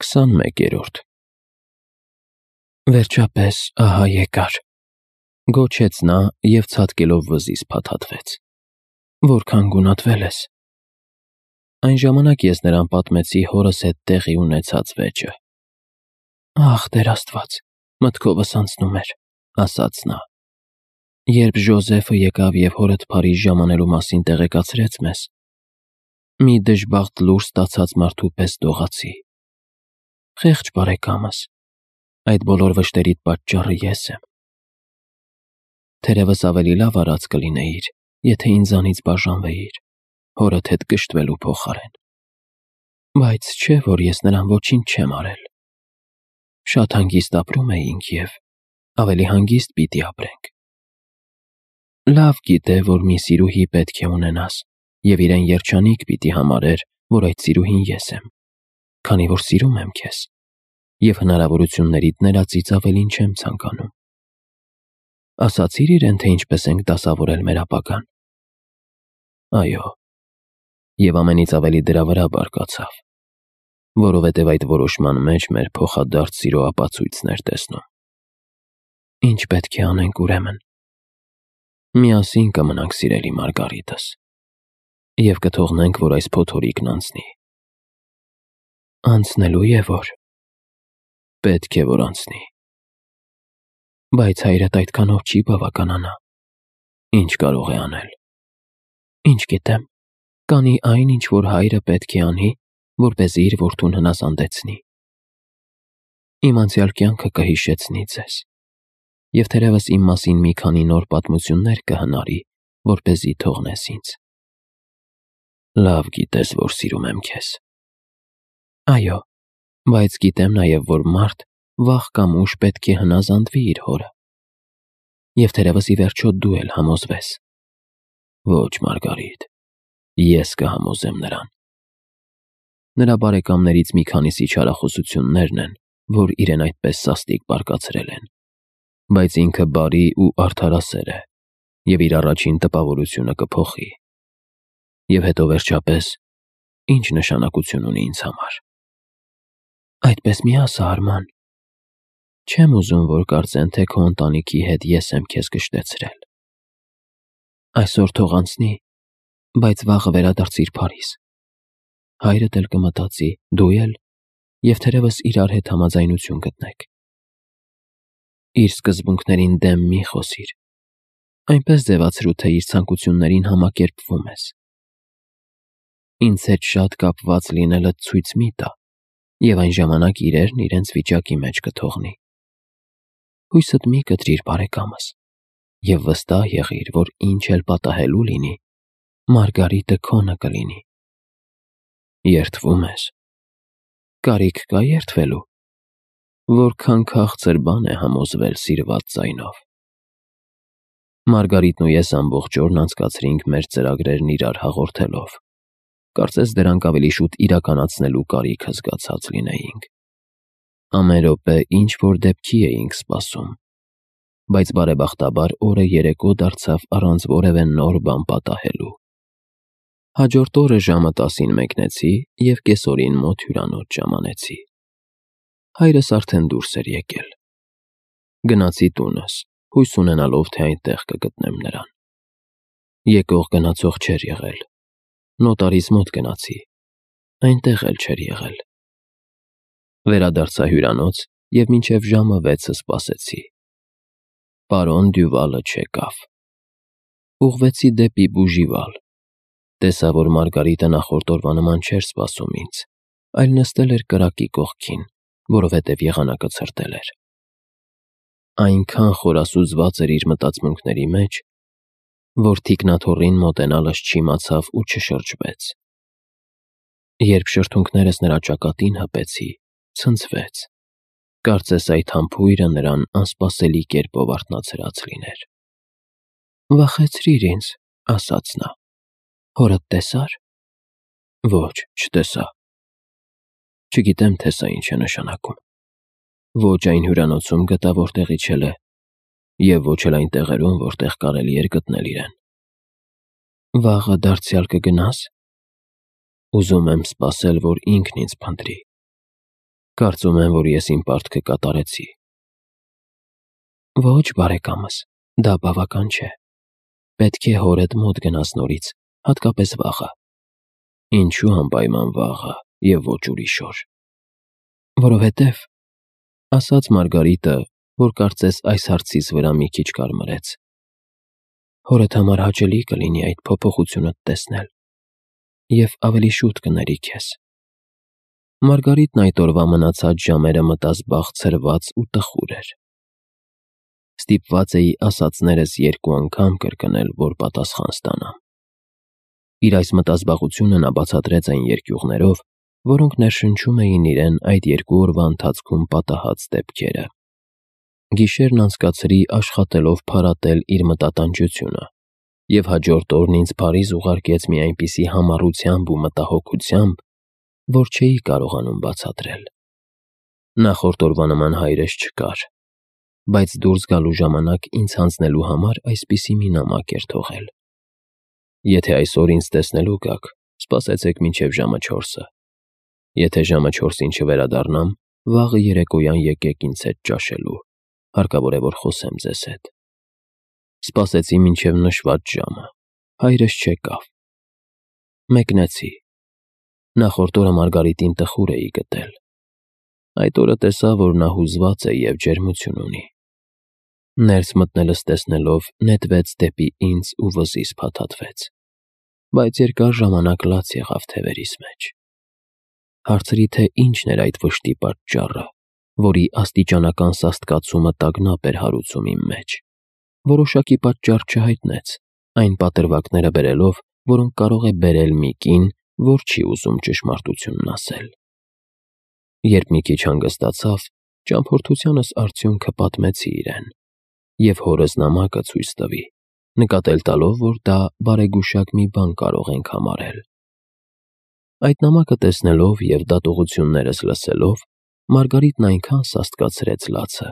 21-րդ Վերջապես ահա եկար, գոչեց նա և ցատկելով վզից փաթաթվեց, որքան գունատվել ես։ Այն ժամանակ ես նրան պատմեցի հորս հետ տեղի ունեցած վեճը։ Ախ, Տեր Աստված, մտքովս անցնում էր, ասաց նա։ Երբ Ժոզեֆը եկավ և հորդ Փարիզ ժամանելու մասին տեղեկացրեց մեզ, մի դժբախտ լուր ստացած մարդու պես դողացի։ Խեղճ բարեկամս, այդ բոլոր վշտերիդ պատճառը ես եմ։ Թերևս ավելի լավ արած կլինեիր, եթե ինձանից բաժանվեիր, հորդ հետ կշտվելու փոխարեն։ Բայց չէ, որ ես նրան ոչինչ չեմ արել։ Շատ հանգիստ ապրում էինք և ավելի հանգիստ պիտի ապրենք։ Լավ գիտե, որ մի սիրուհի պետք է ունենաս, և իրեն երջանիկ պիտի համարեր, որ այդ սիրուհին ես եմ, քանի որ սիրում եմ քեզ, և հնարավորություններիդ ներածից ավելին չեմ ցանկանում։ Ասացի՞ր իրեն, թե ինչպես ենք դասավորել մեր ապագան։ Այո, և ամենից ավելի դրա վրա բարկացավ, որովհետև այդ որոշման մեջ մեր փոխադարձ սիրո ապացույցն էր տեսնում։ Ինչ պետք է անենք ուրեմն։ Միասին կմնանք, սիրելի Մարգարիտս, և կթողնենք, որ այս փոթորիկն անցնի։ Անցնելու է որ։ Պետք է որ անցնի։ Բայց հայրդ այդքանով չի բավականանա։ Ինչ կարող է անել։ Ինչ գիտեմ, կանի այն, ինչ որ հայրը պետք է անի, որպեսզի իր որդուն հնազանդեցնի։ Իմ անցյալ կյանքը կհիշեցնի ձեզ, և թերևս իմ մասին մի քանի նոր պատմություններ կհնարի, որպեսզի թողնես ինձ։ Լավ գիտես, որ սիրում եմ քեզ։ Այո, բայց գիտեմ նաև, որ մարդ վաղ կամ ուշ պետք է հնազանդվի իր հորը։ Եվ թերևս ի վերջո դու էլ համոզվես։ Ոչ, Մարգարիտ, ես կհամոզեմ նրան։ Նրա բարեկամներից մի քանիսի չարախոսություններն են, որ իրեն այդպես սաստիկ բարկացրել են, բայց ինքը բարի ու արդարասեր է, և իր առաջին տպավորությունը կփոխի։ Եվ հետո վերջապես, ինչ նշանակություն ունի ինձ համար։ Այդպես մի ասա, Արման։ Չեմ ուզում, որ կարծեն, թե քո ընտանիքի հետ ես եմ քեզ կշտեցրել։ Այսօր թող անցնի, բայց վաղը վերադարձիր Փարիզ։ Հայրդ էլ կմտածի, դու էլ, և թերևս իրար հետ համաձայնություն գտնեք։ Իր սկզբունքներին դեմ մի խոսիր։ Այնպես ձևացրու, թե իր ցանկություններին համակերպվում ես։ Ինձ հետ շատ կապված լինելդ ցույց մի տա, և այն ժամանակ իրերն իրենց վիճակի մեջ կթողնի։ Հույսդ մի կտրիր, բարեկամս, և վստահ եղիր, որ ինչ էլ պատահելու լինի, Մարգարիտը քոնը կլինի։ Երդվում ես։ Կարիք կա երդվելու։ Որքան քաղցր բան է համոզվել սիրված ձայնով։ Մարգարիտն ու ես ամբողջ օրն անցկացրինք մեր ծրագրերն իրար հաղորդելով։ Կարծես դրանք ավելի շուտ իրականացնելու կարիքը զգացած լինեինք։ Ամեն րոպե ինչ-որ դեպքի էինք սպասում, բայց բարեբախտաբար օրը երեկո դարձավ առանց որևէ նոր բան պատահելու։ Հաջորդ օրը ժամը 10-ին մեկնեցի և կեսօրին մոտ հյուրանոց ժամանեցի։ Հայրս արդեն դուրս էր եկել։ Գնացի տունս, հույս ունենալով, թե այնտեղ կգտնեմ նրան։ Եկող գնացող չէր եղել։ Նոտարիս մոտ գնացի, այնտեղ էլ չէր եղել։ Վերադարձա հյուրանոց և մինչև ժամը 6-ը սպասեցի։ Պարոն Դյուվալը չեկավ։ Ուղղվեցի դեպի բուժիվալ։ Տեսա, որ Մարգարիտը նախորդ օրվա նման չէր սպասում ինձ, այլ նստել էր կրակի կողքին, որովհետև եղանակը ցրտել էր։ Այնքան խորասուզված էր իր մտածմունքների մեջ, որ թիկնաթոռին մոտենալս չիմացավ ու չշրջվեց։ Երբ շրթունքներս նրա ճակատին հպեցի, ցնցվեց։ Կարծես այդ համբույրը նրան անսպասելի կերպով արթնացրած լիներ։ Վախեցրիր ինձ, ասաց նա։ Հորդ տեսա՞ր։ Ոչ, չտեսա։ Չգիտեմ, թե սա ինչ է նշանակում։ Ոչ այն հյուրանոցում գտա, որտեղից էլ է, և ոչ էլ այն տեղերում, որտեղ կարելի էր գտնել իրեն։ Վաղը դարձյալ կգնա՞ս։ Ուզում եմ սպասել, որ ինքն ինձ փնտրի։ Կարծում եմ, որ ես իմ պարտքը կատարեցի։ Ոչ, բարեկամս, դա բավական չէ։ Պետք է հորդ մոտ գնաս նորից, հատկապես վաղը։ Ինչու անպայման վաղը և ոչ ուրիշ օր։ Որովհետև, ասաց Մարգարիտը, որ կարծես այս հարցիս վրա մի քիչ կարմրեց, հորդ համար հաճելի կլինի այդ փոփոխությունդ տեսնել և ավելի շուտ կների քեզ։ Մարգարիտն այդ օրվա մնացած ժամերը մտած բաղձրված ու տխուր էր։ Ստիպված էի ասածներս 2 անգամ կրկնել, որ պատասխան ստանամ։ Իր այս մտազբաղությունը նա բացատրեց այն երկյուղներով, որոնք ներշնչում էին իրեն այդ 2 օրվա ընթացքում պատահած դեպքերը։ Գիշերն անցկացրի աշխատելով փարատել իր մտատանջությունը, և հաջորդ օրն ինձ Փարիզ ուղարկեց մի այնպիսի համառությամբ ու մտահոգությամբ, որ չէի կարողանում բացատրել։ Նախորդ օրվա նման հայրս չկար, բայց դուրս գալու ժամանակ ինձ հանձնելու համար այսպիսի մի նամակ էր թողել. «Եթե այսօր ինձ տեսնելու գաք, սպասեցեք մինչև ժամը 4-ը։ Եթե ժամը 4-ին չվերադառնամ, վաղը երեկոյան եկեք ինձ հետ ճաշելու, հարկավոր է, որ խոսեմ ձեզ հետ»։ Սպասեցի մինչև նշված ժամը, հայրս չեկավ։ Մեկնեցի։ Նախորդ օրը Մարգարիտին տխուր էի գտել։ Այդ օրը տեսա, որ նա հուզված է և ջերմություն ունի։ Ներս մտնելս տեսնելով նետվեց դեպի ինձ ու վզիս փաթաթվեց, բայց երկար ժամանակ լաց եղավ թևերիս մեջ։ Հարցրի, թե ինչն էր այդ վշտի պատճառը, որի աստիճանական սաստկացումը տագնապ էր հարուցում իմ մեջ։ Որոշակի պատճառ չհայտնեց, այն պատրվակները բերելով, որոնք կարող է բերել մի կին, որ չի ուզում ճշմարտությունն ասել։ Երբ մի քիչ հանգստացավ, ճամփորդությանս արդյունքը պատմեցի իրեն, և հորս նամակը ցույց տվի, նկատել տալով, որ դա բարեգուշակ մի բան կարող ենք համարել։ Այդ նամակը տեսնելով և դատողություններս լսելով, Մարգարիտն այնքան սաստկացրեց լացը,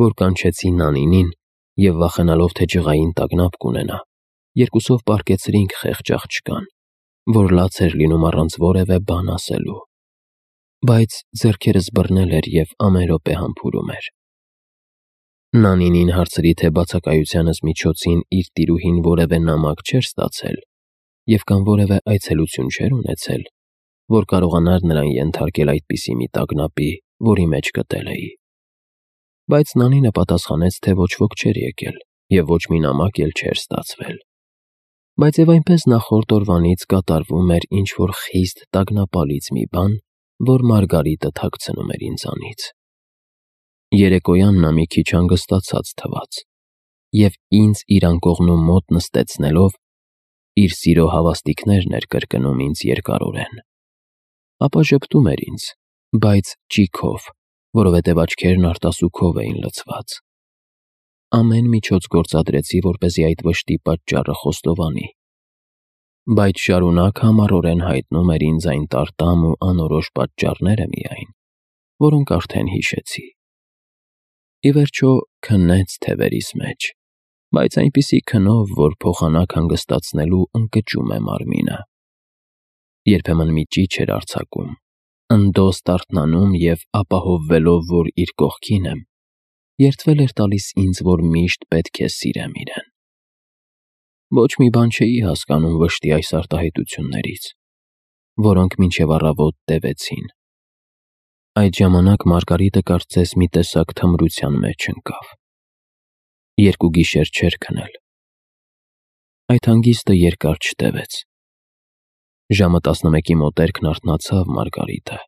որ կանչեցի Նանինին և վախենալով, թե ջղային տագնապ կունենա, երկուսով պառկեցրինք խեղճ աղջկան, որ լաց էր լինում առանց որևէ բան ասելու, բայց ձեռքերս բռնել էր և ամեն րոպե համբուրում էր։ Նանինին հարցրի, թե բացակայությանս միջոցին իր տիրուհին որևէ նամակ չէր ստացել և կամ որևէ այցելություն չէր ունեցել, որ կարողանար նրան ենթարկել այդպիսի մի տագնապի, որի մեջ գտել էի։ Բայց Նանինը պատասխանեց, թե ոչ ոք չէր եկել և ոչ մի նամակ էլ չէր ստացվել, բայց և այնպես նախորդ օրվանից կատարվում էր ինչ-որ խիստ տագնապալից մի բան, որ Մարգարիտը թաքցնում էր ինձանից։ Երեկոյան նա մի քիչ հանգստացած թվաց և ինձ իր անկողնու մոտ նստեցնելով, իր սիրո հավաստիքներն էր կրկնում ինձ երկարորեն։ Ապա ժպտում էր ինձ, բայց ճիգով, որովհետև աչքերն արտասուքով էին լցված։ Ամեն միջոց գործադրեցի, որպեսզի այդ վշտի պատճառը խոստովանի, բայց շարունակ համառորեն հայտնում էր ինձ այն տարտամ ու անորոշ պատճառները միայն, որոնք արդեն հիշեցի։ Ի վերջո քնեց թևերիս մեջ, բայց այնպիսի քնով, որ փոխանակ հանգստացնելու ընկճում է մարմինը։ Երբեմն մի ճիչ էր արձակում, ընդոս տարթնանում և ապահովվելով, որ իր կողքին եմ, երդվել էր տալիս ինձ, որ միշտ պետք է սիրեմ իրեն։ Ոչ մի բան չէի հասկանում վշտի այս արտահայտություններից, որոնք մինչև առավոտ տևեցին։ Այդ ժամանակ Մարգարիտը կարծես մի տեսակ թմրության մեջ ընկավ։ 2 գիշեր չէր քնել։ Այդ հանգիստը երկար չտևեց։ Ժամը 11-ի մոտերքն արթնացավ Մարգարիտը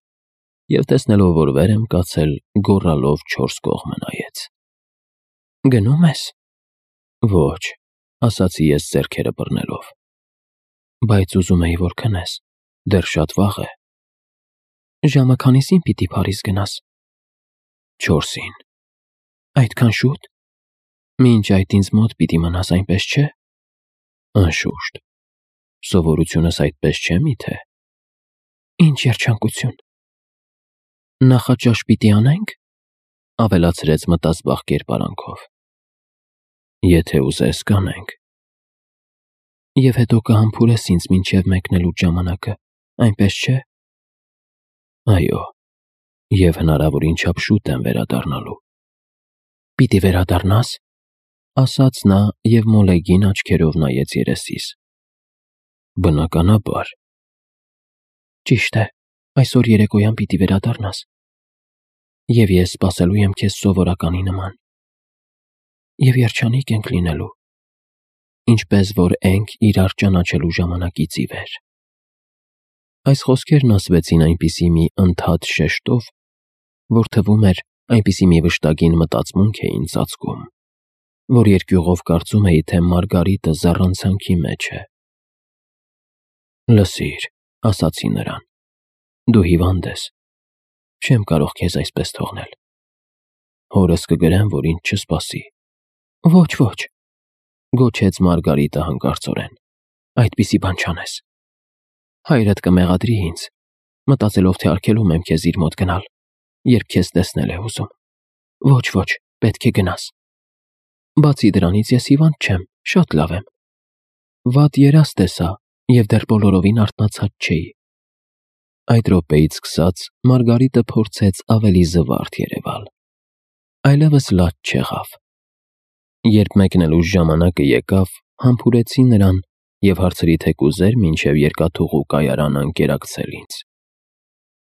և տեսնելով, որ վեր եմ կացել, գոռալով 4 կողմը նայեց։ «Գնո՞ւմ ես»։ «Ոչ», ասացի ես ձեռքերը բռնելով։ «Բայց ուզում էի, որ քնես, դեռ շատ վաղ է»։ «Ժամը քանիսին պիտի Փարիզ գնաս»։ 4-ին։ «Այդքան շուտ։ Մինչ այդ ինձ մոտ պիտի մնաս, այնպես չէ»։ «Անշուշտ, սովորությունս այդպես չէ միթե»։ «Ինչ երջանկություն»։ «Նախաճաշ պիտի անե՞նք»։ Ավելացրեց մտազբաղ կերպարանքով։ «Եթե ուզես, կանենք»։ «Եվ հետո կհամբուրես ինձ մինչև մեկնելու ժամանակը, այնպես չէ»։ «Այո, Եվ հնարավորին չափ շուտ եմ վերադառնալու։ Պիտի վերադառնաս, ասաց նա և մոլեգին աչքերով նայեց երեսիս։ Բնականաբար։ Ճիշտ է, այսօր երեկոյան պիտի վերադառնաս։ Եվ ես սպասելու եմ քեզ սովորականի նման։ Եվ երջանիկ ենք լինելու, ինչպես որ ենք իրար ճանաչելու ժամանակից ի վեր։ Այս խոսքերն ասվեցին այնպիսի մի ընդհատ շեշտով, որ թվում էր այնպիսի մի վշտագին մտածմունք էին ծածկում, որ երկյուղով կարծում էի, թե Մարգարիտը զառանցանքի մեջ է։ Լսիր, ասացի նրան, դու հիվանդ ես, չեմ կարող քեզ այսպես թողնել։ Հորս կգրեմ, որ ինձ չսպասի։ Ոչ, ոչ, գոչեց Մարգարիտը հանկարծորեն, այդպիսի բան չանես։ Հայրդ կմեղադրի ինձ, մտածելով, թե արգելում եմ քեզ իր մոտ գնալ, երբ քեզ տեսնել է ուզում։ Ոչ, ոչ, պետք է գնաս։ Բացի դրանից ես հիվանդ չեմ, շատ լավ եմ։ Վատ երազ տեսա և դեռ բոլորովին արթնացած չէի։ Այդ րոպեից սկսած Մարգարիտը փորձեց ավելի զվարթ երևալ։ Այլևս լաց չեղավ։ Երբ մեկնելու ժամանակը եկավ, համբուրեցի նրան և հարցրի, թե կուզեր մինչև երկաթուղու կայարանը ընկերակցել ինձ։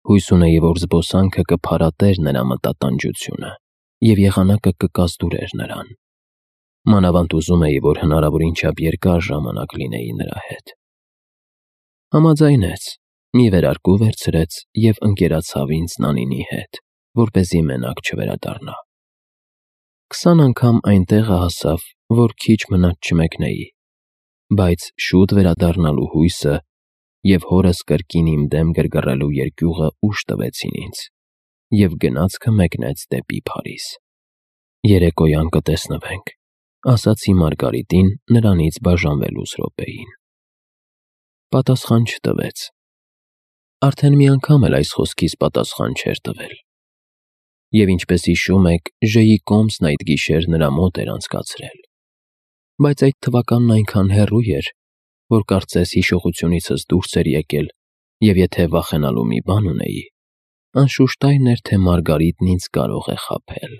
Հույս ունեի, որ զբոսանքը կփարատեր նրա մտատանջությունը և եղանակը կկազդուրեր նրան։ Մանավանդ ուզում էի, որ հնարավորին չափ երկար ժամանակ լինեի նրա հետ։ Համաձայնեց, մի վերարկու վերցրեց և ընկերացավ ինձ Նանինի հետ, որպեսզի մենակ չվերադառնա։ 20 անգամ այն տեղը հասավ, որ քիչ մնաց չմեկնեի, բայց շուտ վերադառնալու հույսը և հորս կրկին իմ դեմ գրգռելու երկյուղը ուժ տվեցին ինձ, և գնացքը մեկնեց դեպի Փարիզ։ Երեկոյան կտեսնվենք, ասացի Մարգարիտին նրանից բաժանվելուց րոպեին։ Պատասխան չտվեց։ Արդեն մի անգամ էլ այս խոսքիս պատասխան չէր տվել։ Եվ ինչպես հիշում եք, Ժ-ի կոմսն այդ գիշեր նրա մոտ էր անցկացրել։ Բայց այդ թվականն այնքան հեռու էր, որ կարծես հիշողությունիցս դուրս էր եկել, և եթե վախենալու մի բան ունեի, անշուշտ այն էր, թե Մարգարիտն ինձ կարող է խաբել։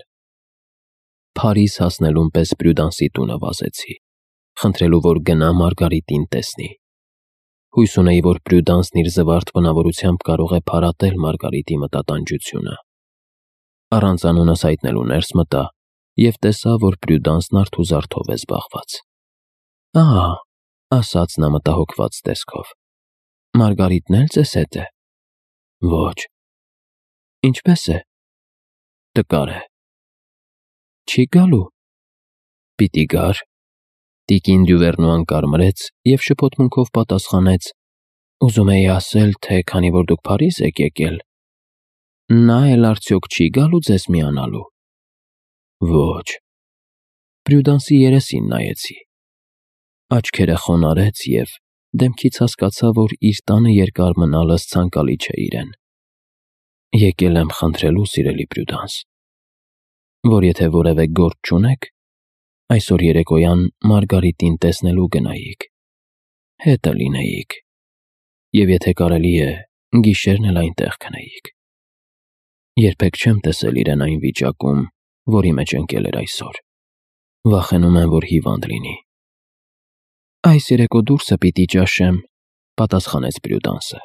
Փարիզ հասնելուն պես Պրյուդանսի տունը վազեցի, խնդրելու, որ գնա Մարգարիտին տեսնի։ Հույս ունեի, որ Պրյուդանսն իր զվարթ բնավորությամբ կարող է փարատել Մարգարիտի մտատանջությունը։ Առանց անունս հայտնելու ներս մտա և տեսա, որ Պրյուդանսն արթուզարթով է զբաղված։ Ահա, ասաց նա մտահոգված տեսքով, Մարգարիտն էլ ձեզ հետ է։ Ոչ։ Ինչպե՞ս է։ Տկար է։ Չի գալու։ Պիտի գար։ Տիկին Դյուվերնուան կարմրեց և շփոթմունքով պատասխանեց. Ուզում էի ասել, թե քանի որ դուք Փարիզ եք եկել, նա էլ արդյոք չի գալու ձեզ միանալու։ Ոչ։ Պրյուդանսի երեսին նայեցի։ Աչքերը խոնարհեց և դեմքից հասկացա, որ իր տանը երկար մնալս ցանկալի չէ իրեն։ Եկել եմ խնդրելու, սիրելի Պրյուդանս, որ եթե որևէ գործ չունեք, այսօր երեկոյան Մարգարիտին տեսնելու գնայիք, հետը լինեիք, և եթե կարելի է, գիշերն էլ այնտեղ քնեիք։ Երբեք չեմ տեսել իրեն այն վիճակում, որի մեջ ընկել էր այսօր։ Վախենում եմ, որ հիվանդ լինի։ Այս երեկո դուրսը պիտի ճաշեմ, պատասխանեց Պրյուդանսը,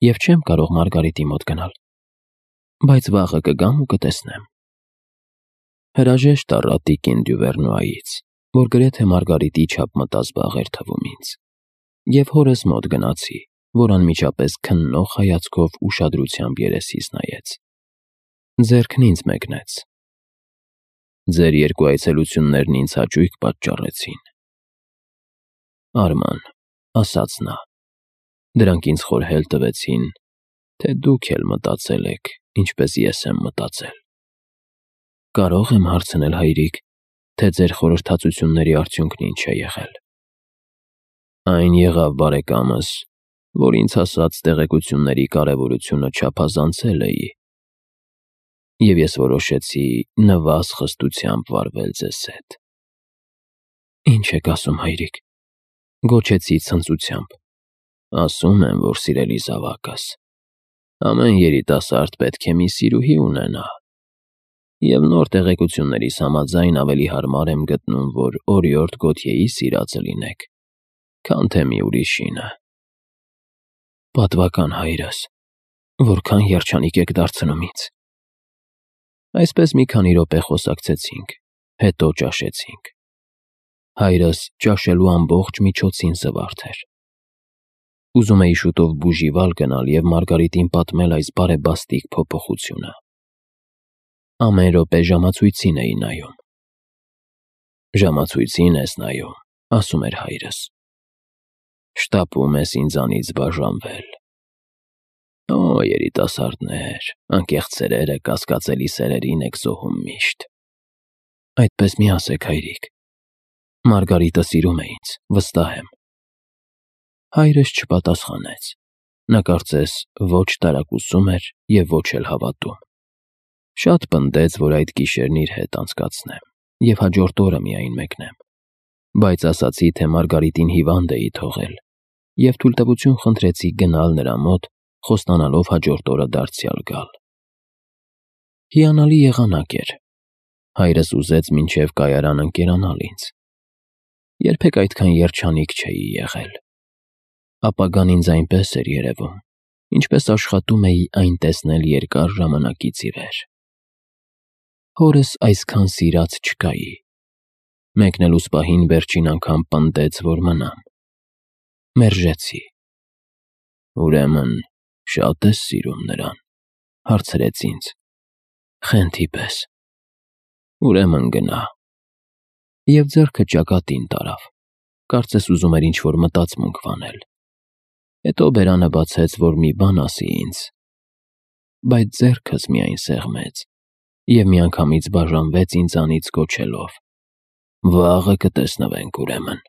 և չեմ կարող Մարգարիտի մոտ գնալ, բայց վաղը կգամ ու կտեսնեմ։ Հրաժեշտ առա տիկին Դյուվերնուայից, որ գրեթե Մարգարիտի չափ մտազբաղ էր թվում ինձ, և հորս մոտ գնացի, որ անմիջապես քննող հայացքով ուշադրությամբ երեսիս նայեց։ Ձեռքն ինձ մեկնեց։ Ձեր երկու այցելություններն ինձ հաճույք պատճառեցին։ Արման, ասաց նա, դրանք ինձ խորհել տվեցին, թե դուք էլ մտածել եք, ինչպես ես եմ մտածել։ Կարո՞ղ եմ հարցնել, հայրիկ, թե ձեր խորհրդածությունների արդյունքն ինչ է եղել։ Այն եղավ, բարեկամս, որ ինձ հասած տեղեկությունների կարևորությունը չափազանցել էի, և ես որոշեցի նվազ խստությամբ վարվել ձեզ հետ։ Ինչ եք ասում, հայրիկ, գոչեցի ցնծությամբ։ Ասում եմ, որ սիրելի զավակս, Ամեն երիտասարդ պետք է մի սիրուհի ունենա, և նոր տեղեկություններիս համաձայն ավելի հարմար եմ գտնում, որ օրիորդ Գոթյեի սիրածը լինեք, քան թե մի ուրիշինը։ Պատվական հայրս, որքան երջանիկ եք դարձնում ինձ։ Այսպես մի քանի րոպե խոսակցեցինք, հետո ճաշեցինք։ Հայրս ճաշելու ամբողջ միջոցին զվարթ էր։ Ուզում էի շուտով բուժիվալ գնալ և Մարգարիտին պատմել այս բարեբաստիկ փոփոխությունը։ Ամեն րոպե ժամացույցին էի նայում։ Ժամացույցին ես նայում, ասում էր հայրս։ Շտապում ես ինձանից բաժանվել։ Օ, երիտասարդներ, անկեղծ սերերը կասկածելի սերերին եք զոհում միշտ։ Այդպես մի ասեք, հայրիկ։ Մարգարիտը սիրում է ինձ, վստահ եմ։ Հայրս չպատասխանեց։ Նա կարծես ոչ տարակուսում էր և ոչ էլ հավատում։ Շատ պնդեց, որ այդ գիշերն իր հետ անցկացնեմ և հաջորդ օրը միայն մեկնեմ, բայց ասացի, թե Մարգարիտին հիվանդ էի թողել և թույլտվություն խնդրեցի գնալ նրա մոտ, խոստանալով հաջորդ օրը դարձյալ գալ։ Հիանալի եղանակ էր։ Հայրս ուզեց մինչև կայարան ընկերանալ ինձ։ Երբեք այդքան երջանիկ չէի եղել։ Ապագան ինձ այնպես էր երևում, ինչպես աշխատում էի այն տեսնել երկար ժամանակից ի վեր։ Հորս այսքան սիրած չկայի։ Մեկնելուս պահին վերջին անգամ պնդեց, որ մնամ։ Մերժեցի։ Ուրեմն շատ ես սիրում նրան, հարցրեց ինձ։ Խենթի պես։ Ուրեմն գնա։ Եվ ձեռքը ճակատին տարավ, կարծես ուզում էր ինչ-որ մտածմունք վանել։ Հետո բերանը բացեց, որ մի բան ասի ինձ, բայց ձեռքս միայն սեղմեց և միանգամից բաժանվեց ինձանից գոչելով. «Վաղը կտեսնվենք ուրեմն»։